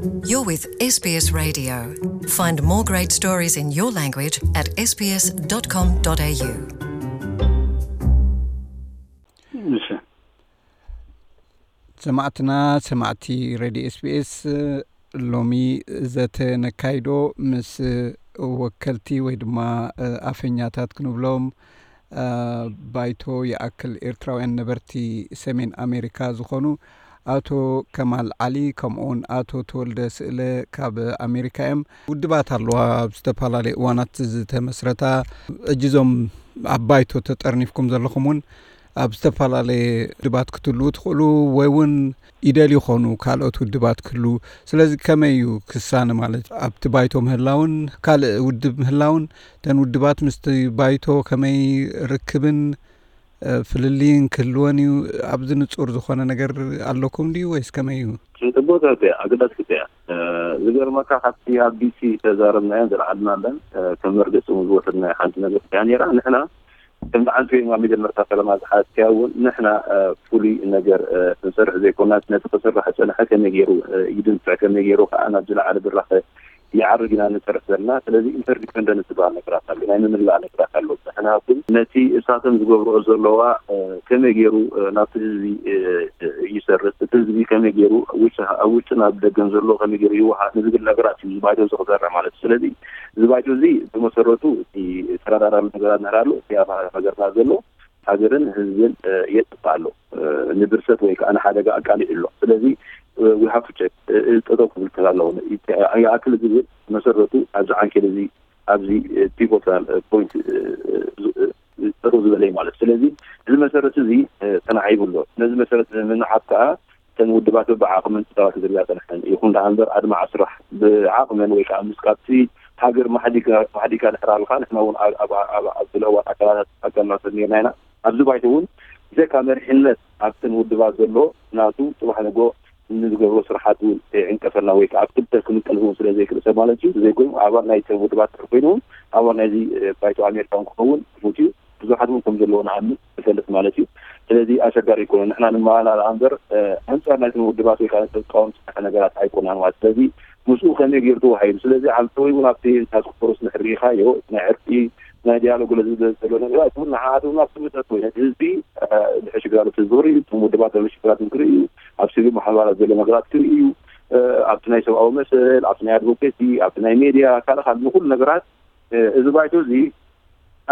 You're with S B S Radio. Find more great stories in your language at S B S dot com dot A U. እሺ። ሰማዕትና፣ ሰማዕቲ ሬድዮ ኤስቢኤስ፣ ሎሚ ዘተ ነካይዶ ምስ ወከልቲ ወይ ድማ ኣፈኛታት ክንብሎም፣ ባይቶ ይኣክል ኤርትራውያን ነበርቲ ሰሜን ኣሜሪካ ዝኾኑ ኣቶ ከማል ዓሊ፣ ከምኡውን ኣቶ ተወልደ ስእለ ካብ ኣሜሪካ እዮም። ውድባት ኣለዋ ኣብ ዝተፈላለዩ እዋናት ዝተመስረታ። እጅዞም ኣብ ባይቶ ተጠርኒፍኩም ዘለኹም እውን ኣብ ዝተፈላለየ ውድባት ክትህልዉ ትኽእሉ፣ ወይ እውን ይደልዩ ይኾኑ ካልኦት ውድባት ክህልዉ። ስለዚ ከመይ እዩ ክሳነ? ማለት ኣብቲ ባይቶ ምህላውን ካልእ ውድብ ምህላውን፣ እተን ውድባት ምስቲ ባይቶ ከመይ ርክብን ፍልልይን ክህልወን እዩ? ኣብዚ ንጹር ዝኾነ ነገር ኣለኩም ድዩ ወይስ ከመይ እዩ? ጽቡቅ እያ፣ ኣገዳሲት እያ። ዝገርመካ፣ ካብቲ ኣብ ቢሲ ተዛረብናዮን ዘለዓልናለን ከም መርገጺ እውን ዝወሰድናዮ ሓንቲ ነገር እያ ነይራ። ንሕና ከም በዓልቲ ወይም ኣብ መጀመርታ ፈለማ ዝሓዝክያ እውን፣ ንሕና ፍሉይ ነገር ክንሰርሕ ዘይኮናስ፣ ነቲ ክስራሕ ዝጸንሐ ከመይ ገይሩ ይድንፍዕ፣ ከመይ ገይሩ ከዓ ናብ ዝለዓለ ብራኸ ይዓርግ ኢና ንሰርሕ ዘለና። ስለዚ ኢንተርዲፐንደንስ ዝበሃል ነገራት ኣሎ፣ ናይ ምምላእ ነገራት ኣሎ። ንሕና ግን ነቲ እሳቶም ዝገብርኦ ዘለዋ ከመይ ገይሩ ናብቲ ህዝቢ ይሰርጽ፣ እቲ ህዝቢ ከመይ ገይሩ ኣብ ውሽጥን ኣብ ደገን ዘሎ ከመይ ገይሩ ይወሃድ ንዝብል ነገራት እዩ እዚ ባይቶ እዚ ክሰርሕ ማለት እዩ። ስለዚ እዚ ባይቶ እዚ ብመሰረቱ እቲ ተረዳዳሚ ነገራት ንሕና ኣሎ፣ እቲ ኣብ ሃገርና ዘሎ ሃገርን ህዝብን የጥፍእ ኣሎ፣ ንብርሰት ወይ ከዓ ንሓደጋ ኣቃሊዑ ኣሎ። ስለዚ we have to check፣ ጠጠው ክብል ክእል ኣለዎ። ይኣክል ዝብል መሰረቱ ኣብዚ ዓንኬል እዚ፣ ኣብዚ ፒቮታል ፖይንት ጠጠው ዝበለ እዩ ማለት። ስለዚ እዚ መሰረት እዚ ተናዒቡ ኣሎ። ነዚ መሰረት እዚ ንምንዓት ከዓ እተን ውድባት በብዓቕመን ክጻወታ ዝርያ ጸንሐን። ይኹን ደኣ እምበር ኣድማዒ ስራሕ ብዓቕመን ወይ ከዓ ምስ ካብቲ ሃገር ማሕዲጋ ድሕር ኣልካ፣ ንሕና እውን ኣብ ዝለዋ ኣካላት ኣካልና ሰብ ነርና ኢና። ኣብዚ ባይቶ እውን ብዘካ መሪሕነት ኣብተን ውድባት ዘሎ ናቱ ጽባሕ ንጎ ንዝገብሮ ስራሓት እውን ከይዕንቀፈና ወይ ከዓ ኣብ ክልተ ክምቀል እውን ስለ ዘይክእል ሰብ ማለት እዩ። ዘይኮይኑ ኣባል ናይተን ውድባት ድሕር ኮይኑ እውን ኣባል ናይዚ ባይቶ ኣሜሪካ እውን ክኸውን ክፉት እዩ። ብዙሓት እውን ከም ዘለዎ ንኣምን ንፈልጥ ማለት እዩ። ስለዚ ኣሸጋሪ ኣይኮነን። ንሕና ንመሃላላ እምበር ኣንጻር ናይቶም ውድባት ወይ ከዓ ንተቃወምቲ ዝሰርሐ ነገራት ኣይኮናን ማለት። ስለዚ ምስኡ ከመይ ገይሩ ተዋሂዱ? ስለዚ ዓብተወይ እውን ኣብቲ ታስክ ፎርስ ንሕር ርኢኻዮ ናይ ዕርቂ ናይ ዲያሎግ ገለ ዝብል ዘሎ ነገራት እውን ንዓኣት እውን ኣብቲ ምጠት ወይ ነቲ ህዝቢ ድሕሽ ግዳሎት ህዝቢ ክርኢ እዩ፣ እቶም ውድባት ዘሎ ሽግራት ክርኢ እዩ፣ ኣብ ሲቪል ማሕበራት ዘሎ ነገራት ክርኢ እዩ፣ ኣብቲ ናይ ሰብኣዊ መሰል፣ ኣብቲ ናይ ኣድቮኬሲ፣ ኣብቲ ናይ ሜድያ ካልእ ካልእ ንኩሉ ነገራት እዚ ባይቶ እዚ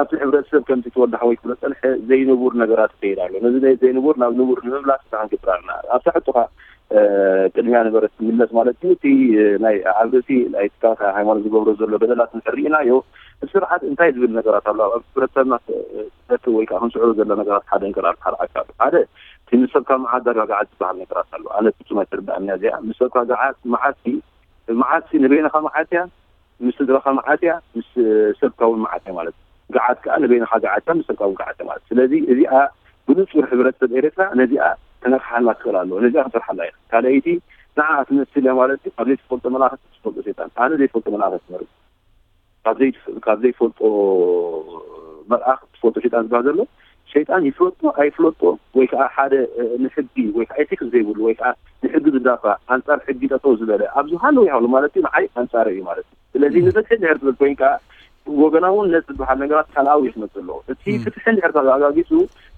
ኣብቲ ሕብረተሰብ ከምቲ ተወልደ ሓወይ ክብሎ ጸንሐ ዘይንቡር ነገራት ይኸይድ ኣሎ። ነዚ ዘይንቡር ናብ ንቡር ንምምላስ ንስኻ ክንገብር ኣለና። ኣብታ ሕቶኻ ቅድሚያ ነበረት ትምለስ ማለት እዩ። እቲ ናይ ኣብ ርእሲ ናይ ትካላት ሃይማኖት ዝገብሮ ዘሎ በደላት ንሕር ርኢናዮ። እቲ ስርዓት እንታይ ዝብል ነገራት ኣሎ ኣብ ሕብረተሰብና ክፈቱ ወይ ከዓ ክንስዕሮ ዘሎ ነገራት ሓደ እንከር ኣብ ሓደ ኣካል ሓደ እቲ ምስ ሰብካ መዓት ዳጋ ገዓት ዝበሃል ነገራት ኣሎ። ኣነ ፍጹም ኣይትርዳእን እያ እዚኣ። ምስ ሰብካ ገዓት መዓት መዓት ንበይንኻ መዓት እያ፣ ምስ ስድራኻ መዓት እያ፣ ምስ ሰብካ እውን መዓት እያ ማለት እዩ። ገዓት ከዓ ንበይንኻ ገዓት እያ፣ ምስ ሰብካ እውን ገዓት እያ ማለት እዩ። ስለዚ እዚኣ ብንጹር ሕብረተሰብ ኤርትራ ነዚኣ ከነቕሓና ክኽእል ኣለዎ። ነዚኣ ክንሰርሓላ ኢና። ካልኣይቲ ንዓኣ ትመስል እያ ማለት እዩ። ካብ ዘይትፈልጦ መልኣኽ ትፈልጦ ሰይጣን። ኣነ ዘይፈልጦ መልኣኽ እየ ዝመርጽ። ካብ ዘይትፍ- ካብ ዘይፈልጦ መልኣኽ ትፈልጦ ሰይጣን ዝበሃል ዘሎ ሸይጣን ይፍለጦ ኣይፍለጦ ወይ ከዓ ሓደ ንሕጊ ወይ ከዓ ኤቲክስ ዘይብሉ ወይ ከዓ ንሕጊ ዝዳፋእ ኣንፃር ሕጊ ጠጠው ዝበለ ኣብዚ ሃለዉ ይሃሉ ማለት እዩ። ንዓይ ኣንፃረ እዩ ማለት እዩ። ስለዚ ንፍትሒ እንድሕር ትብል ኮይንካ ወገናውነት ዝበሃል ነገራት ካልኣዊ እዩ ክመፅእ ኣለዎ። እቲ ፍትሒ እንድሕር ተረጋጊፁ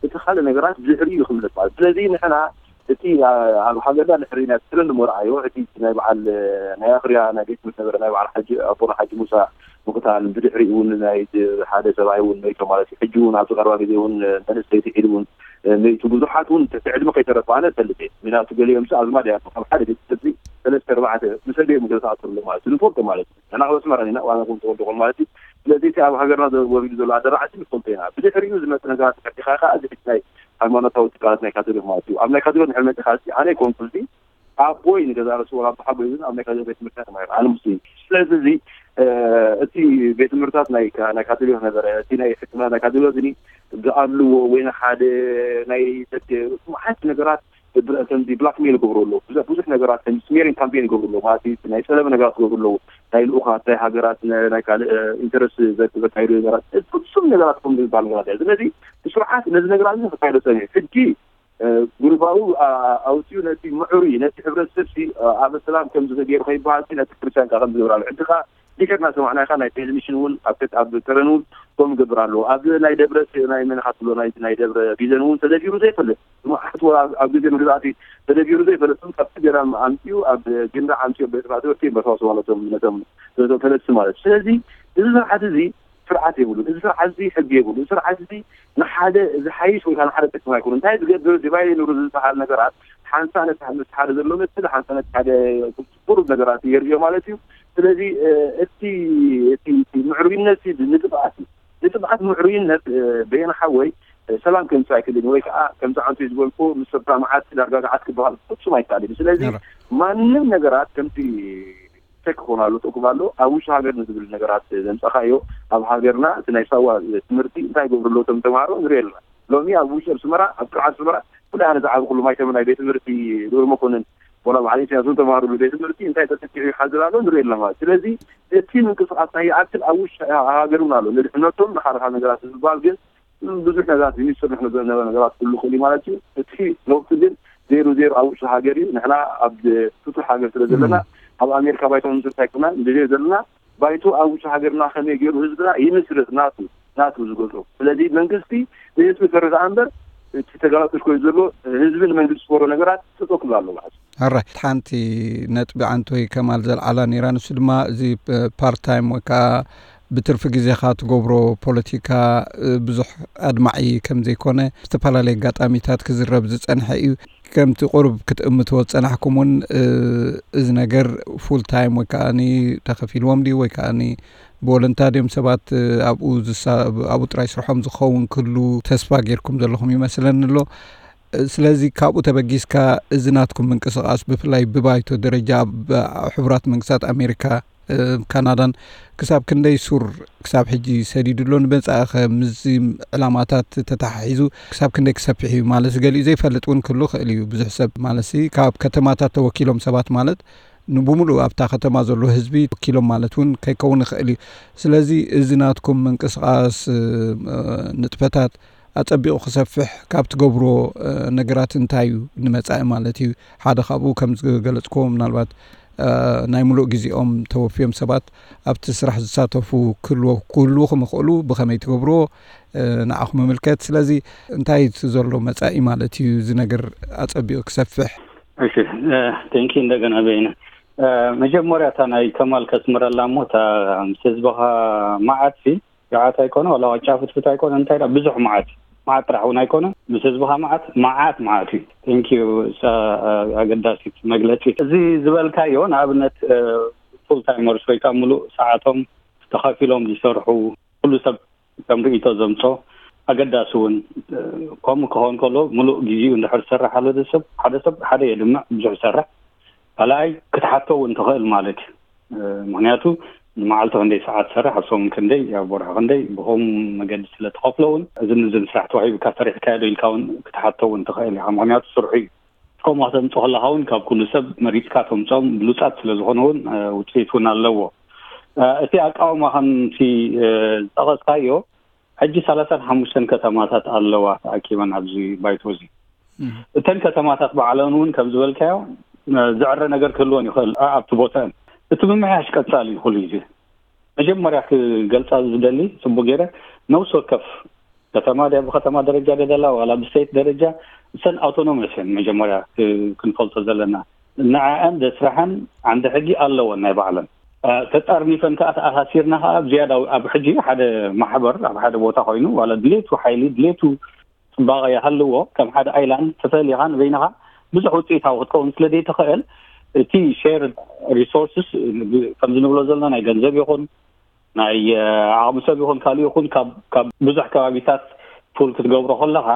እቲ ካልእ ነገራት ብድሕሪኡ እዩ ክምለስ ማለት እዩ። ስለዚ ንሕና እቲ ኣብ ሃገርና ድሕሪ ናይ ትረንድ መርኣዮ እቲ ናይ በዓል ናይ ኣኽርያ ናይ ቤት ትምህርቲ ነበረ ናይ በዓል ሓጂ ኣቦና ሓጂ ሙሳ ምቕታል ብድሕሪኡ እውን ናይ ሓደ ሰብኣይ እውን መይቶ ማለት እዩ። ሕጂ እውን ኣብዚ ቀረባ ግዜ እውን መንእሰይቲ ሒዱ እውን መይቱ ብዙሓት እውን ትሕቲ ዕድመ ከይተረፈ ኣነ እፈልጥ እየ። ምክንያቱ ገሊኦም ሲ ኣዝማድ እያ ካብ ሓደ ቤት ትምህርቲ ሰለስተ ኣርባዕተ ምስ ኣደኦም ገለ ተኣሰሩ ኣሎ ማለት እዩ። ንፈልጦ ማለት እዩ። ንሕና ካብ ኣስመራ ኢና ዋና ኩም ተወልዶ ማለት እዩ። ስለዚ እቲ ኣብ ሃገርና ወሪዱ ዘሎ ኣደራዕሲ ንፈልጦ ኢና። ብድሕሪኡ ዝመፅ ነገራት ተፈቲኻ ከዓ እዚ ናይ ሃይማኖታዊ ትካላት ናይ ካቶሊክ ማለት እዩ። ኣብ ናይ ካቶሊክ ንሕር መፂኻ ኣነ ይኮንኩ እዚ ኣቦይ ንገዛ ርእሱ ወላ ኣቦ ሓጎይ እውን ኣብ ናይ ካቶሊክ ቤት ትምህርቲ ተማሂሩ ኣነ ሙስሊም። ስለዚ እዚ እቲ ቤት ትምህርታት ናይ ናይ ካቶሊክ ነበረ። እቲ ናይ ሕክምና ናይ ካቶሊክ እዚ ዝኣልዎ ወይ ንሓደ ናይ ደገ መዓት ነገራት ከምዚ ብላክሜል ይገብሩ ኣለዉ። ብዙሕ ብዙሕ ነገራት ከም ስሜሪንግ ካምፔን ይገብሩ ኣለዉ ማለት እዩ። ናይ ፀለመ ነገራት ይገብሩ ኣለዉ። ናይ ልኡኻት ናይ ሃገራት ናይ ካልእ ኢንተረስት ዘካይዱ ነገራት ፍጹም ነገራት ከም ዝበሃል ነገራት እያ። ስለዚ ስርዓት ነዚ ነገራት እዚ ክካይዶ ፀኒሑ ሕጂ ጉልባኡ ኣውፅኡ ነቲ ምዕሩይ ነቲ ሕብረተሰብ ሲ ኣበ ሰላም ከምዚ ገይሩ ከይበሃል ነቲ ክርስቲያን ከዓ ከምዚ ገብራሉ ሕጂ ከዓ ዲከር እናሰማዕናኻ ናይ ቴሌቪዥን እውን ኣብ ኣብ ተረን እውን ከም ገብር ኣለዎ ኣብ ናይ ደብረ ናይ መነኻት ብሎ ናይ ደብረ ቢዘን እውን ተደቢሩ ዘይፈልጥ መዓት ኣብ ግዜ ምግዛእቲ ተደቢሩ ዘይፈለጥም ካብቲ ገዳም ኣምፅኡ ኣብ ግንዳ ኣምፅኡ ቤት ማእሰርቲ በስዋስ ማለቶም ነቶም ነቶም ፈለጥቲ ማለት ስለዚ እዚ ስርዓት እዚ ስርዓት የብሉን። እዚ ስርዓት እዚ ሕጊ የብሉን። እዚ ስርዓት እዚ ንሓደ ዝሓይሽ ወይ ንሓደ ጥቅም ኣይኮኑ እንታይ ዝገብር ዲቫይድ ንሩ ዝበሃል ነገራት ሓንሳ ነቲ ሓደ ዘሎ መስል ሓንሳ ነቲ ሓደ ቁሩብ ነገራት የርእዮ ማለት እዩ። ስለዚ እቲ እቲ ምዕሩይነት ንጥብኣት እዩ። ንጥብኣት ምዕሩይነት በየና ሓወይ ሰላም ከምፅእ ኣይክእልን ወይ ከዓ ከምዚ ዓንቱ ዝበልኩ ምስ ሰብካ መዓት ዳርጋ ገዓት ክበሃል ፍፁም ኣይከኣልን እዩ። ስለዚ ማንም ነገራት ከምቲ ቸክ ክኾኑ ኣሎ ጥቁም ኣሎ ኣብ ውሽጢ ሃገር ንዝብል ነገራት ዘምፀኻዮ ኣብ ሃገርና እቲ ናይ ሳዋ ትምህርቲ እንታይ ገብሩ ኣለዉ ቶም ተምሃሮ ንሪኦ ኣለና። ሎሚ ኣብ ውሽጢ ኣብ ስመራ ኣብ ጥርዓት ስመራ ኩሉ ኣነ ዝዓበ ኩሉ ማይተመ ናይ ቤት ትምህርቲ ዶር መኮንን ወላ ባዕሊ ኢሳያስ እውን ተምሃሩ ቤት ትምህርቲ እንታይ ተጠቂዑ ይሓዝር ኣሎ ንሪኦ ኣለና ማለት ስለዚ እቲ ምንቅስቃስ ናይ ይኣክል ኣብ ውሽጢ ሃገር እውን ኣሎ ንድሕነቶም ንካልካ ነገራት ዝበሃል ግን ብዙሕ ነገራት ዝስርሕ ዝነበረ ነገራት ክህሉ ክእል ማለት እዩ። እቲ ለውጢ ግን ዜሩ ዜሩ ኣብ ውሽጢ ሃገር እዩ። ንሕና ኣብ ፍቱሕ ሃገር ስለ ዘለና ኣብ ኣሜሪካ ባይቶ ንምስርት ኣይኮና ንደልዮ ዘለና ባይቶ ኣብ ውሽጢ ሃገርና ከመይ ገይሩ ህዝብና ይምስርት ናቱ ናቱ ዝገዝኦ። ስለዚ መንግስቲ ንህዝቢ ከረድኣ እምበር እቲ ተጋላጦች ኮይኑ ዘሎ ህዝቢ ንመንግስቲ ዝፈሮ ነገራት ጠጠው ክብል ኣለዎ ማለት እዩ። ኣራይት ሓንቲ ነጥቢ ዓንቶይ ከማል ዘልዓላ ነይራ ንሱ ድማ እዚ ፓርት ታይም ወይ ከዓ ብትርፊ ግዜኻ ትገብሮ ፖለቲካ ብዙሕ ኣድማዒ ከም ዘይኮነ ብዝተፈላለየ ኣጋጣሚታት ክዝረብ ዝጸንሐ እዩ። ከምቲ ቁሩብ ክትእምትዎ ዝጸናሕኩም እውን እዚ ነገር ፉል ታይም ወይ ከዓ ተኸፊልዎም ድዩ ወይ ከዓ ብወለንታ ድዮም ሰባት ኣብኡ ኣብኡ ጥራይ ስርሖም ዝኸውን ክህሉ ተስፋ ጌርኩም ዘለኹም ይመስለኒ ኣሎ። ስለዚ ካብኡ ተበጊስካ እዚ ናትኩም ምንቅስቃስ ብፍላይ ብባይቶ ደረጃ ኣብ ሕቡራት መንግስታት ኣሜሪካ ካናዳን ክሳብ ክንደይ ሱር ክሳብ ሕጂ ሰዲዱ ኣሎ ንመጻኢ ከ ምስዚ ዕላማታት ተተሓሒዙ ክሳብ ክንደይ ክሰፍሕ እዩ ማለት ገሊኡ ዘይፈልጥ እውን ክህሉ ክእል እዩ ብዙሕ ሰብ ማለት ካብ ከተማታት ተወኪሎም ሰባት ማለት ንብምሉእ ኣብታ ከተማ ዘሎ ህዝቢ ወኪሎም ማለት እውን ከይከውን ይኽእል እዩ። ስለዚ እዚ ናትኩም ምንቅስቃስ ንጥፈታት ኣጸቢቑ ክሰፍሕ ካብ ትገብርዎ ነገራት እንታይ እዩ ንመጻኢ ማለት እዩ? ሓደ ካብኡ ከም ዝገለጽክዎ ምናልባት ናይ ምሉእ ግዜኦም ተወፍዮም ሰባት ኣብቲ ስራሕ ዝሳተፉ ክህልዎ ክህልዉ ከም ይኽእሉ ብኸመይ ትገብርዎ ንዓኹም ይምልከት። ስለዚ እንታይ እቲ ዘሎ መጻኢ ማለት እዩ እዚ ነገር ኣጸቢቑ ክሰፍሕ? እሺ ቴንኪ እንደገና በይነ መጀመርያ እታ ናይ ከማል ከስምረላ እሞ እታ ምስ ህዝብኻ መዓት ሲ ገዓት ኣይኮነ ዋላ ዋጫ ፍትፍት ኣይኮነ እንታይ ዳ ብዙሕ መዓት እዩ። መዓት ጥራሕ እውን ኣይኮነ ምስ ህዝብኻ መዓት መዓት መዓት እዩ። ቴንኪዩ እሳ ኣገዳሲት መግለፂ እዚ ዝበልካዮ ንኣብነት ፉል ታይመርስ ወይ ከዓ ሙሉእ ሰዓቶም ተኸፊሎም ዝሰርሑ ኩሉ ሰብ ከም ርእይቶ ዘምፆ ኣገዳሲ እውን ከምኡ ክኸውን ከሎ ሙሉእ ግዜኡ እንድሕር ዝሰርሕ ኣሎ ሰብ ሓደ ሰብ ሓደ የድምዕ ብዙሕ ይሰርሕ ካልኣይ ክትሓቶ እውን ትኽእል ማለት እዩ። ምክንያቱ ንመዓልቲ ክንደይ ሰዓት ትሰርሕ ኣብ ሰሙን ክንደይ ኣብ ወርሒ ክንደይ ብከምኡ መገዲ ስለ ትኸፍሎ እውን እዚ ንዚ ስራሕ ተዋሂቡካ ሰሪሕካዮ ዶ ኢልካ እውን ክትሓቶ እውን ትኽእል ኢኻ ምክንያቱ ስርሑ እዩ። ከምኡ ከተምፅኦ ከለካ እውን ካብ ኩሉ ሰብ መሪፅካ ተምፅኦም ብሉፃት ስለ ዝኾኑ እውን ውፅኢት እውን ኣለዎ። እቲ ኣቃውማ ከምቲ ዝጠቐስካዮ ሕጂ ሰላሳን ሓሙሽተን ከተማታት ኣለዋ ተኣኪበን ኣብዚ ባይቶ እዚ። እተን ከተማታት ባዕለን እውን ከም ዝበልካዮ ዝዕረ ነገር ክህልወን ይኽእል ኣብቲ ቦተአን። እቲ ምምሕያሽ ቀፃሊ እዩ ኩሉ ግዜ። መጀመርያ ክገልፃ ዝደሊ ፅቡቅ ገይረ ነብሲ ወከፍ ከተማ ድያ ብከተማ ደረጃ ደደላ ዋላ ብስቴት ደረጃ እሰን ኣውቶኖመስ እየን መጀመርያ ክንፈልጦ ዘለና ንዐአን ደስራሐን ዓንዲ ሕጊ ኣለወን ናይ ባዕለን ተጣርኒፈን ከዓ ተኣሳሲርና ከዓ ዝያዳ ኣብ ሕጂ ሓደ ማሕበር ኣብ ሓደ ቦታ ኮይኑ ዋላ ድሌቱ ሓይሊ ድሌቱ ፅባቐ ይሃልዎ ከም ሓደ ኣይላንድ ተፈሊኻ ንበይንኻ ብዙሕ ውፅኢታዊ ክትከውን ስለ ዘይትኽእል እቲ ሼር ሪሶርስስ ከምዚ ንብሎ ዘለና ናይ ገንዘብ ይኹን ናይ ዓቕሚ ሰብ ይኹን ካልእ ይኹን ካብ ብዙሕ ከባቢታት ፑል ክትገብሮ ከለኻ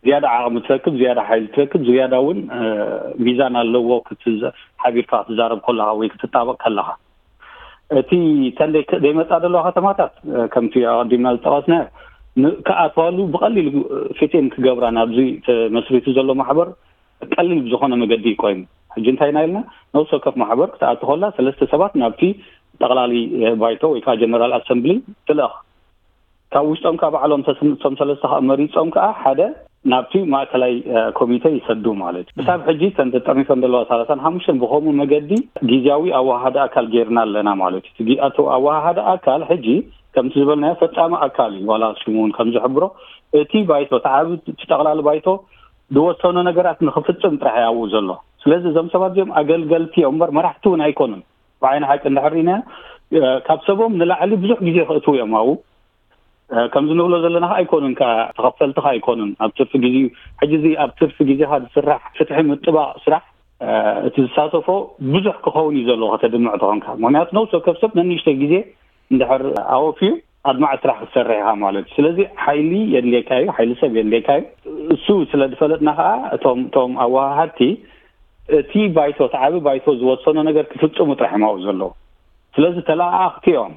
ዝያዳ ዓቕሚ ትረክብ ዝያዳ ሓይሊ ትረክብ ዝያዳ እውን ሚዛን ኣለዎ ሓቢርካ ክትዛረብ ከለኻ ወይ ክትጣበቕ ከለኻ እቲ ተን ዘይመፃ ዘለዋ ከተማታት ከምቲ ኣቀዲምና ዝጠቐስናዮ ክኣትዋሉ ብቐሊል ፊትን ክገብራ ናብዚ ተመስሪቱ ዘሎ ማሕበር ቀሊል ብዝኾነ መገዲ እዩ ኮይኑ ሕጂ እንታይ ኢና ኢልና ነብሲ ወከፍ ማሕበር ክትኣቱ ከላ ሰለስተ ሰባት ናብቲ ጠቕላሊ ባይቶ ወይ ከዓ ጀነራል ኣሰምብሊ ትልእኽ ካብ ውሽጦም ከዓ ባዕሎም እቶም ሰለስተ ከዓ መሪፆም ከዓ ሓደ ናብቲ ማእከላይ ኮሚተ ይሰዱ ማለት እዩ። ክሳብ ሕጂ ተን ተጠርኒፈን ዘለዋ ሰላሳን ሓሙሽተን ብኸምኡ መገዲ ግዜያዊ ኣወሃሃዲ ኣካል ጌርና ኣለና ማለት እዩ። እቲ ኣወሃሃዲ ኣካል ሕጂ ከምቲ ዝበልናዮ ፈጻሚ ኣካል እዩ። ዋላ ሽሙ እውን ከም ዝሕብሮ እቲ ባይቶ ተዓቢ እቲ ጠቕላሊ ባይቶ ዝወሰኖ ነገራት ንክፍጽም ጥራሕ ያውኡ ዘሎ። ስለዚ እዞም ሰባት እዚኦም ኣገልገልቲ እዮም እምበር መራሕቲ እውን ኣይኮኑን። ብዓይኒ ሓቂ እንድሕር ኢና ካብ ሰቦም ንላዕሊ ብዙሕ ግዜ ክእትዉ እዮም ኣብኡ። ከምዚ ንብሎ ዘለና ከዓ ኣይኮኑን፣ ከዓ ተኸፈልቲ ከዓ ኣይኮኑን። ኣብ ትርፊ ግዜ ሕጂ እዚ ኣብ ትርፊ ግዜኻ ዝስራሕ ፍትሒ ምጥባቕ ስራሕ እቲ ዝሳተፎ ብዙሕ ክኸውን እዩ ዘለዎ ከተድምዕ ተኾንካ። ምክንያቱ ነብሲ ወከፍ ሰብ ነንእሽተይ ግዜ እንድሕር ኣወፍዩ ኣድማዕ ስራሕ ክትሰርሕ ኢኻ ማለት እዩ። ስለዚ ሓይሊ የድልየካ እዩ፣ ሓይሊ ሰብ የድልየካ እዩ። እሱ ስለ ዝፈለጥና ከዓ እቶም እቶም ኣወሃሃድቲ እቲ ባይቶ ተዓቢ ባይቶ ዝወሰኖ ነገር ክፍፅሙ ጥራሕ እዮም ኣብኡ ዘለዉ። ስለዚ ተለኣኣኽቲ እዮም።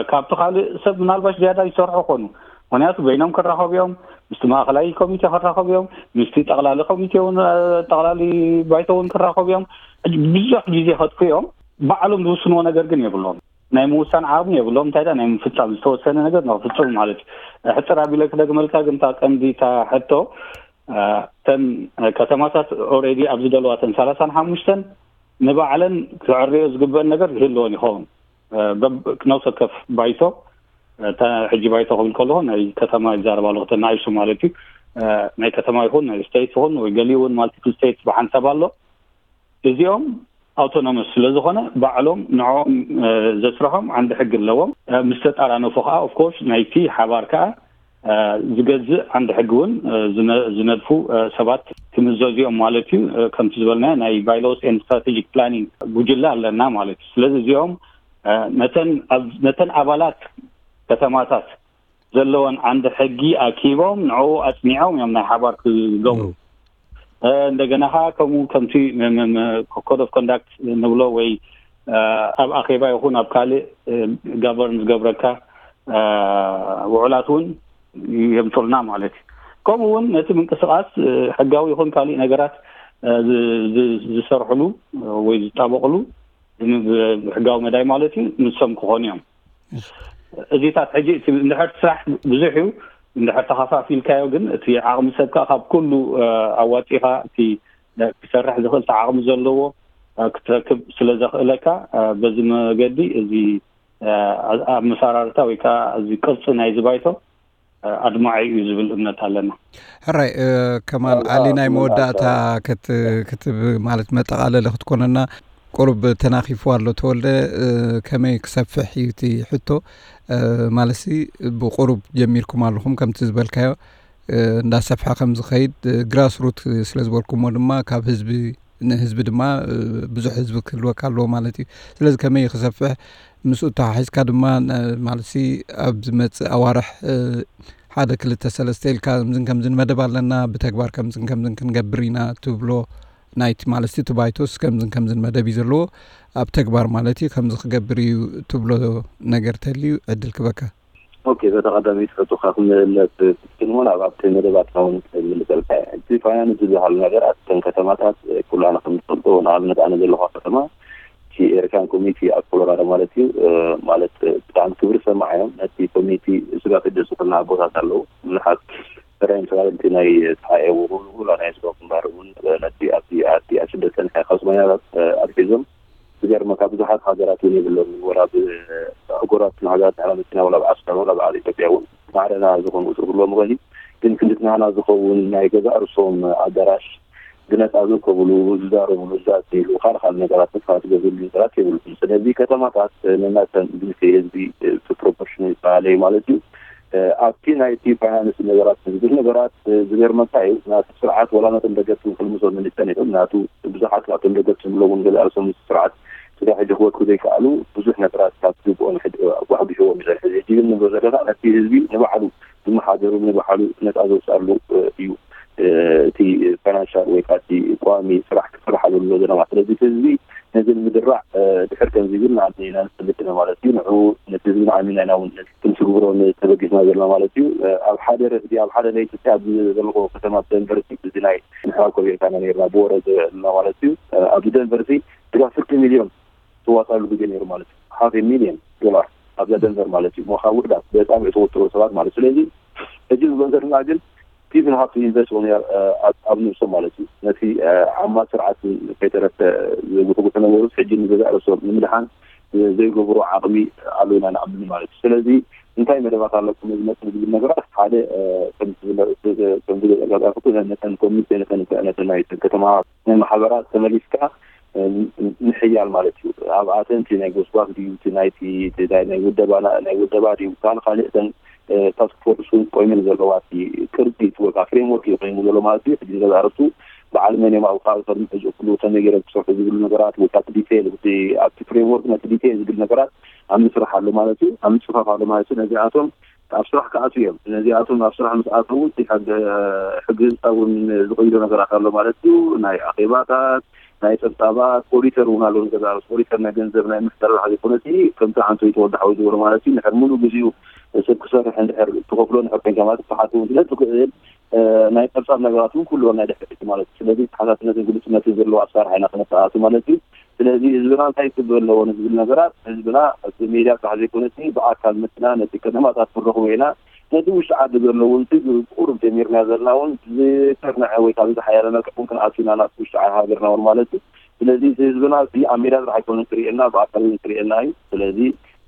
ካብቲ ካልእ ሰብ ምናልባሽ ዝያዳ ይሰርሑ ኾኑ። ምክንያቱ በይኖም ክራኸቡ እዮም፣ ምስቲ ማእኸላይ ኮሚቴ ክራኸቡ እዮም፣ ምስቲ ጠቕላሊ ኮሚቴ እውን ጠቕላሊ ባይቶ እውን ክራኸቡ እዮም። ብዙሕ ግዜ ከጥፉ እዮም። ባዕሎም ዝውስንዎ ነገር ግን የብሎም። ናይ ምውሳን ዓቕሚ የብሎም። እንታይ ዳ ናይ ምፍፃም ዝተወሰነ ነገር ንክፍፅሙ ማለት እዩ። ሕፅር ኣቢለ ክደግመልካ ግን እታ ቀንዲ እታ ሕቶ እተን ከተማታት ኦልሬዲ ኣብ ዝደለዋ እተን ሰላሳን ሓሙሽተን ንባዕለን ክዕርዮ ዝግበአን ነገር ይህልወን ይኸውን። ነብሰ ወከፍ ባይቶ እታ ሕጂ ባይቶ ክብል ከለኹ ናይ ከተማ ይዛረብ ኣለኹ፣ እተን ንኣሽቱ ማለት እዩ። ናይ ከተማ ይኹን ናይ ስቴት ይኹን ወይ ገሊኡ እውን ማልቲፕል ስቴት ብሓንሳብ ኣሎ። እዚኦም ኣውቶኖመስ ስለ ዝኾነ ባዕሎም ንዕኦም ዘስርሖም ዓንዲ ሕጊ ኣለዎም። ምስ ተጣራነፉ ከዓ ኦፍኮርስ ናይቲ ሓባር ከዓ ዝገዝእ ዓንዲ ሕጊ እውን ዝነድፉ ሰባት ክምዘዙ እዮም ማለት እዩ። ከምቲ ዝበልና ናይ ባይሎስ ኤንድ ስትራቴጂክ ፕላኒንግ ጉጅለ ኣለና ማለት እዩ። ስለዚ እዚኦም ነተን ኣባላት ከተማታት ዘለወን ዓንዲ ሕጊ ኣኪቦም ንዕኡ ኣፅኒዖም እዮም ናይ ሓባር ክገብሩ። እንደገና ከዓ ከምኡ ከምቲ ኮድ ኦፍ ኮንዳክት ንብሎ ወይ ኣብ ኣኼባ ይኹን ኣብ ካልእ ጋቨርን ዝገብረካ ውዕላት እውን የምፅልና ማለት እዩ። ከምኡ እውን ነቲ ምንቅስቃስ ሕጋዊ ይኹን ካሊእ ነገራት ዝሰርሕሉ ወይ ዝጣበቅሉ ብሕጋዊ መዳይ ማለት እዩ ንሶም ክኾኑ እዮም። እዚታት ሕጂ እቲ እንድሕር ስራሕ ብዙሕ እዩ፣ እንድሕር ተኸፋፊልካዮ ግን እቲ ዓቕሚ ሰብ ከዓ ካብ ኩሉ ኣዋፂኻ እቲ ክሰርሕ ዝኽእል እቲ ዓቕሚ ዘለዎ ክትረክብ ስለ ዘኽእለካ በዚ መገዲ እዚ ኣመሰራርታ ወይ ከዓ እዚ ቅርፂ ናይዚ ባይቶ ኣድማዒ እዩ ዝብል እምነት ኣለና። ሕራይ ከማል ኣሊ ናይ መወዳእታ ክትብ ማለት መጠቓለሊ ክትኮነና ቁሩብ ተናኺፉ ኣሎ ተወልደ። ከመይ ክሰፍሕ እዩ እቲ ሕቶ? ማለትሲ ብቁሩብ ጀሚርኩም ኣለኹም ከምቲ ዝበልካዮ እንዳሰፍሐ ከም ዝኸይድ ግራስ ሩት ስለ ዝበልኩሞ ድማ ካብ ህዝቢ ንህዝቢ ድማ ብዙሕ ህዝቢ ክህልወካ ኣለዎ ማለት እዩ። ስለዚ ከመይ ክሰፍሕ ምስኡ ተሓሒዝካ ድማ ማለትሲ ኣብ ዝመፅእ ኣዋርሕ ሓደ ክልተ ሰለስተ ኢልካ ከምዝን ከምዝን መደብ ኣለና ብተግባር ከምዝን ከምዝን ክንገብር ኢና ትብሎ ናይቲ ማለትሲ እቲ ባይቶስ ከምዝን ከምዝን መደብ እዩ ዘለዎ ኣብ ተግባር ማለት እዩ ከምዚ ክገብር እዩ ትብሎ ነገር ተልዩ ዕድል ክበካ። ኦኬ፣ በታ ቀዳመይቲ ሕቶኻ ክምለስ ክትንሆን ኣብ ኣብቲ መደባትና እውን ክምልሰልካ እየ። እቲ ፋይናንስ ዝበሃል ነገር ኣብተን ከተማታት ኩላና ከም ንፈልጦ ንኣብነት ኣነ ዘለኹ ከተማ እቲ ኤሪትራን ኮሚኒቲ ኣብ ኮሎራዶ ማለት እዩ ማለት ብጣዕሚ ክብሪ ዝሰማዓዮም ነቲ ኮሚኒቲ ስጋት ደሱ ክልና ኣቦታት ኣለዉ ብዙሓት ሰራይ ተባለንቲ ናይ ተሓኤ ውላ ናይ ስጋት ግንባር እውን ነቲ ኣብቲ ኣብቲ ኣብ ስደት ፀንሐ ካብ ስማኛታት ኣትሒዞም ዝገርመካ ብዙሓት ሃገራት እውን የብሎምን ወላ ብኣህጉራት ሃገራት ንሕና መፂና ወላ ብዓስካር ወላ ብዓል ኢትዮጵያ እውን ማዕረና ዝኾኑ ቁፅሪ ክህልዎም ይኽእል እዩ ግን ክንድቲ ናህና ዝኸውን ናይ ገዛእ ርእሶም ኣዳራሽ ብነፃ ዝርከብሉ ዝዛረብሉ ዝዛተይሉ ካልእ ካልእ ነገራት ንጥፋት ዝገብርሉ ነገራት የብሉን ስለዚ ከተማታት ነናተን ብልክዕ ህዝቢ ፕሮፖርሽን ይፈላለዩ ማለት እዩ ኣብቲ ናይቲ ፋይናንስ ነገራት ዝብል ነገራት ዝገርመካ እዩ ናቲ ስርዓት ወላ ነቶም ደገፍቲ ክልምሶ ምንፀን ይኽእል ናቱ ብዙሓት ካብቶም ደገፍቲ ዝብለውን ገለ ኣርሶም ስርዓት ስጋ ሕጂ ክወድኩ ዘይከኣሉ ብዙሕ ነገራት ካብ ዝግብኦም ኣጓሕጒሕዎም ይሰርሕ ሕጂ ግን ንብሎ ዘለና ነቲ ህዝቢ ንባዕሉ ዝመሓደሩ ንባዕሉ ነፃ ዘውፅኣሉ እዩ እቲ ፋይናንሻል ወይ ከዓ እቲ ቋሚ ስራሕ ክስርሓሉ ኣሎ ዘለና ስለዚ ህዝቢ ነዚ ንምድራዕ ድሕር ከምዚ ግን ንዓና ኢና ንፈልጥ ኢና ማለት እዩ ንዑ ነቲ ህዝቢ ንዓሚና ኢና እውን ክንስግብሮ ተበጊስና ዘለና ማለት እዩ ኣብ ሓደ ረፍዲ ኣብ ሓደ ለይቲ ኣብ ዘለዎ ከተማ ደንቨር እዚ ናይ ንሕና ኮቢርካና ነርና ብወረ ዘለና ማለት እዩ ኣብዚ ደንቨር እዚ ድጋፍ ፍርቂ ሚልዮን ትዋፃሉ ግዜ ነይሩ ማለት እዩ ሓፍ ሚልዮን ዶላር ኣብዛ ደንቨር ማለት እዩ ሞካ ውሕዳት በጣም የተወጠሩ ሰባት ማለት ስለዚ ሕጂ ዝብሎ ዘለና ግን ቲዝም ሃብቲ ኢንቨስት ውን ኣብ ንብሶም ማለት እዩ። ነቲ ዓማ ስርዓት ከይተረፈ ዝጉሕጉሑ ነበሩት ሕጂ ንገዛእ ርእሶም ንምድሓን ዘይገብሮ ዓቕሚ ኣሎ ኢና ንኣምን ማለት እዩ። ስለዚ እንታይ መደባት ኣለኩም ዝመፅእ ዝብል ነገራት ሓደ ከምዝገለፅኩ ነተን ኮሚቴ ነተን ናይ ከተማ ማሕበራት ተመሊስካ ምሕያል ማለት እዩ። ኣብኣተን እቲ ናይ ጎስጓስ ድዩ እቲ ናይቲ ናይ ውደባ ናይ ውደባ ድዩ ካልእ ካልእ እተን ታስክ ፎርስ እውን ቆይመን ዘለዋ እቲ ቅርፂ እቲ ወይ ከዓ ፍሬምወርክ እዩ ኮይኑ ዘሎ ማለት እዩ። ሕጂ ንገዛ ርእሱ በዓል መን እዮም ኣብኡ ከባቢ ከድምሑ ዝእክሉ ከመይ ገይሮም ክሰርሑ ዝብሉ ነገራት ወይ ከዓ እቲ ዲቴይል ኣብቲ ፍሬምወርክ ነቲ ዲቴይል ዝብል ነገራት ኣብ ምስራሕ ኣሎ ማለት እዩ። ኣብ ምፅፋፍ ኣሎ ማለት እዩ። ነዚኣቶም ኣብ ስራሕ ክኣትዉ እዮም። ነዚኣቶም ኣብ ስራሕ ምስ ኣተዉ እቲ ሕጊ ህንፃ እውን ዝቕይሮ ነገራት ኣሎ ማለት እዩ። ናይ ኣኼባታት ናይ ፀብፃባት ኦዲተር እውን ኣሎ። ንገዛ ኦዲተር ናይ ገንዘብ ናይ ምሕደራ ዘይኮነ እቲ ከምቲ ዓንቶ ይተወዳሓዊ ዝበሎ ማለት እዩ። ንሕር ሙሉ ግዜኡ ሰብ ክሰርሕ እንድሕር ትኸፍሎ ንሕር ኮንካ ማለት ክሓት እውን ስለ ትኽእል ናይ ፀብፃብ ነገራት እውን ኩሉ ናይ ድሕርቲ ማለት እዩ። ስለዚ ተሓታትነትን ግልፅነትን ዘለዎ ኣሰራርሓ ኢና ክነተኣቱ ማለት እዩ። ስለዚ ህዝብና እንታይ ክብል ኣለዎ ንዝብል ነገራት ህዝብና እቲ ሜድያ ጥራሕ ዘይኮነሲ ብኣካል መፅና ነቲ ከተማታት ክንረኽቦ ኢና። ነቲ ውሽጢ ዓዲ ዘለውን ቁሩብ ጀሚርና ዘለና እውን ዝሰርንዐ ወይ ካብ ዝሓያለ መልክዕ እውን ክንኣቱ ኢና ናብቲ ውሽጢ ሃገርና እውን ማለት እዩ። ስለዚ እቲ ህዝብና እዚ ኣብ ሜዳ ጥራሕ ኣይኮነን ክርእየና ብኣካል እውን ክርእየና እዩ። ስለዚ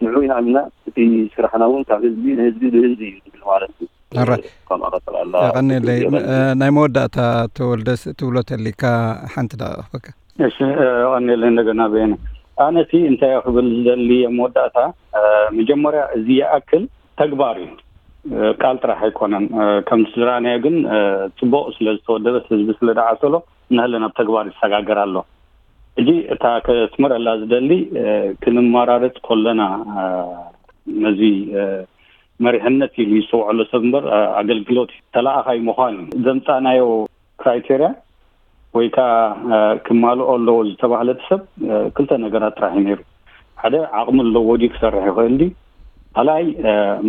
ንዑ ኢና ኣሚና እቲ ስራሕና እውን ካብ ህዝቢ ንህዝቢ ብህዝቢ እዩ ዝብል ማለት እዩ። ኣረ። ከምኣ ቀፅል ኣላ። የቐንየለይ። ናይ መወዳእታ ተወልደስ ትብሎ ተሊካ ሓንቲ ደቂቕ ክህበካ። እሺ፣ የቐንየለይ እንደገና በየነ። ኣነ እቲ እንታይ ክብል ዝደሊ ኣብ መወዳእታ መጀመርያ እዚ ይኣክል ተግባር እዩ። ቃል ጥራሕ ኣይኮነን። ከም ስድራንያ ግን ፅቡቕ ስለ ዝተወደበ ህዝቢ ስለ ደዓሰሎ ንህለ ናብ ተግባር ይሰጋገር ኣሎ። ሕጂ እታ ከስምረላ ዝደሊ ክንመራረፅ ከለና ነዚ መሪሕነት ኢሉ ይሰውዐሎ ሰብ እምበር ኣገልግሎት ተለኣኻይ ምዃን እዩ ዘምፃናዮ ክራይቴርያ ወይ ከዓ ክማልኦ ኣለዎ ዝተባህለት ሰብ ክልተ ነገራት ጥራሕ እዩ ነይሩ። ሓደ ዓቕሚ ኣለዎ ድዩ ክሰርሕ ይኽእል ድዩ? ካልኣይ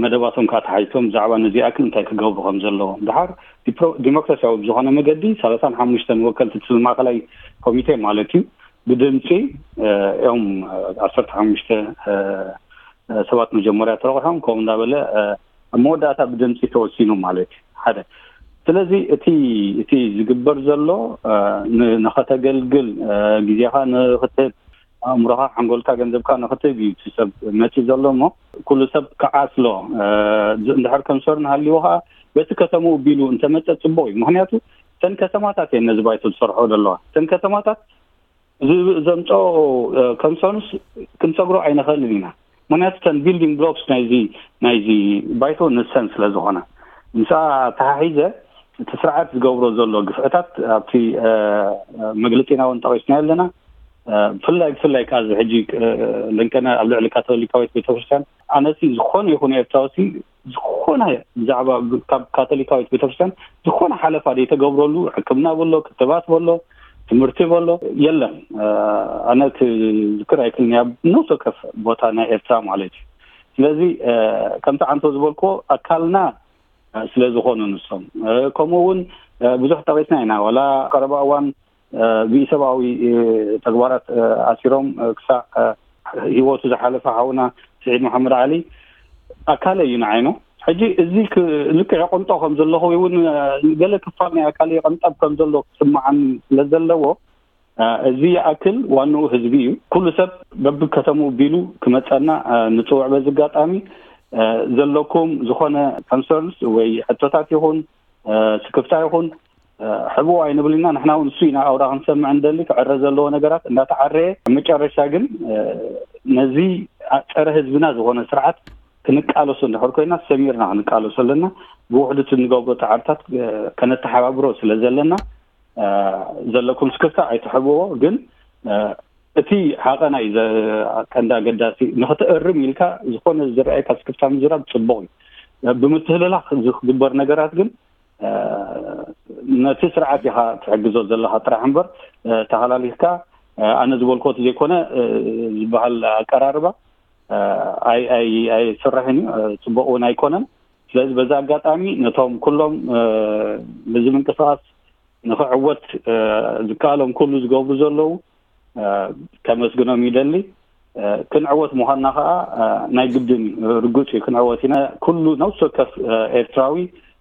መደባቶም ከዓ ተሓይቶም ብዛዕባ ነዚኣ ክን እንታይ ክገብሩ ከም ዘለዎም ድሓር ዲሞክራሲያዊ ብዝኾነ መገዲ ሰላሳን ሓሙሽተን ወከልቲ እቲ ማእከላይ ኮሚቴ ማለት እዩ ብድምፂ እዮም ዓሰርተ ሓሙሽተ ሰባት መጀመርያ ተረቑሖም ከምኡ እንዳበለ ኣብ መወዳእታ ብድምፂ ተወሲኑ ማለት እዩ ሓደ። ስለዚ እቲ እቲ ዝግበር ዘሎ ንኸተገልግል ግዜኻ ንኽትህብ ኣእምሮኻ ሓንጎልካ ገንዘብካ ንኽትህብ እዩ እቲ ሰብ መፂ ዘሎ እሞ ኩሉ ሰብ ክዓስሎ እንድሕር ከምሰር ንሃልዎ ከዓ በቲ ከተምኡ ቢሉ እንተመፀ ፅቡቅ እዩ። ምክንያቱ እተን ከተማታት እየን ነዚ ባይቶ ዝሰርሖ ዘለዋ። እተን ከተማታት እዚ ዘምፀኦ ኮንሰርንስ ክንሰግሮ ኣይንኽእልን ኢና። ምክንያቱ እተን ቢልዲንግ ብሎክስ ናይዚ ናይዚ ባይቶ ንሰን ስለ ዝኾነ ምስኣ ተሓሒዘ እቲ ስርዓት ዝገብሮ ዘሎ ግፍዕታት ኣብቲ መግለፂና እውን ጠቂስና ኣለና። ብፍላይ ብፍላይ ከዓ እዚ ሕጂ ለንቀነ ኣብ ልዕሊ ካቶሊካዊት ቤተክርስትያን ኣነሲ ዝኾነ ይኹን ኤርትራዊ ዝኾነ ብዛዕባ ካብ ካቶሊካዊት ቤተክርስትያን ዝኾነ ሓለፋ ዘይተገብረሉ ሕክምና በሎ ክትባት በሎ ትምህርቲ በሎ የለን። ኣነ ክዝክር ኣይክልኒ ኣብ ነፍሲ ወከፍ ቦታ ናይ ኤርትራ ማለት እዩ። ስለዚ ከምቲ ዓንቶ ዝበልክዎ ኣካልና ስለ ዝኾኑ ንሶም ከምኡ እውን ብዙሕ ጠቂስና ኢና ዋላ ቀረባ እዋን ብኢሰብኣዊ ተግባራት ኣሲሮም ክሳዕ ህይወቱ ዝሓለፈ ሓውና ስዒድ መሓመድ ዓሊ ኣካለ እዩ ንዓይኑ። ሕጂ እዚ ልክዕ የቐንጦ ከም ዘለኹ እውን ገለ ክፋል ናይ ኣካለ የቐንጠብ ከም ዘሎ ክስምዓኒ ስለ ዘለዎ እዚ ይኣክል ዋንኡ ህዝቢ እዩ። ኩሉ ሰብ በብከተምኡ ቢሉ ክመፀና ንፅውዕ በዚ ኣጋጣሚ ዘለኩም ዝኾነ ኮንሰርንስ ወይ ሕቶታት ይኹን ስክፍታ ይኹን ሕቡእ ኣይንብል ኢና። ንሕና እውን እሱ ኢና ኣውራ ክንሰምዕ እንደሊ ክዕረ ዘለዎ ነገራት እንዳተዓረየ ኣብ መጨረሻ ግን ነዚ ፀረ ህዝብና ዝኾነ ስርዓት ክንቃለሶ እንድሕር ኮይና ሰሚርና ክንቃለሶ ኣለና። ብውሕዱት እንገብሮ ፃዕርታት ከነተሓባብሮ ስለ ዘለና ዘለኩም ስክፍታ ኣይትሕብዎ። ግን እቲ ሓቐና እዩ ቀንዲ ኣገዳሲ። ንክትእርም ኢልካ ዝኾነ ዝረኣየካ ስክፍታ ምዝራብ ፅቡቕ እዩ። ብምትህልላክ ዝግበር ነገራት ግን ነቲ ስርዓት ኢኻ ትሕግዞ ዘለኻ ጥራሕ እምበር ተሃላሊኽካ ኣነ ዝበልኮ ዘይኮነ ዝበሃል ኣቀራርባ ኣይስራሕን እዩ፣ ፅቡቕ እውን ኣይኮነን። ስለዚ በዚ ኣጋጣሚ ነቶም ኩሎም በዚ ምንቅስቃስ ንክዕወት ዝከኣሎም ኩሉ ዝገብሩ ዘለዉ ከመስግኖም ይደሊ። ክንዕወት ምዃንና ከዓ ናይ ግድን እዩ፣ ርግፅ እዩ፣ ክንዕወት ኢና። ኩሉ ነፍሲ ወከፍ ኤርትራዊ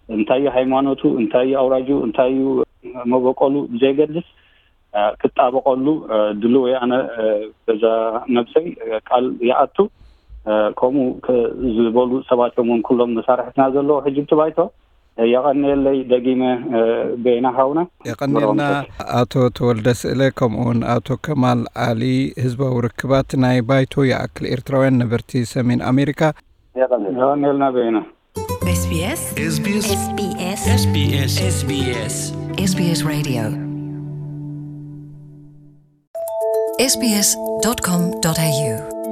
እንታይ እዩ ሃይማኖቱ፣ እንታይ እዩ ኣውራጁ፣ እንታይ እዩ መበቆሉ ብዘይገድስ ክጣበቀሉ ድልው ኣነ በዛ ነብሰይ ቃል ይኣቱ። ከምኡ ዝበሉ ሰባት እዮም እውን ኩሎም መሳርሕትና ዘለዎ ሕጂ ብቲ ባይቶ። የቐንየለይ ደጊመ በይና ሃውና። የቐንየልና። ኣቶ ተወልደ ስእለ፣ ከምኡ እውን ኣቶ ከማል ዓሊ፣ ህዝባዊ ርክባት ናይ ባይቶ ይኣክል ኤርትራውያን ነበርቲ ሰሜን ኣሜሪካ። የቐንየልና በይና። SBS SBS SBS SBS SBS Radio SBS dot com dot A U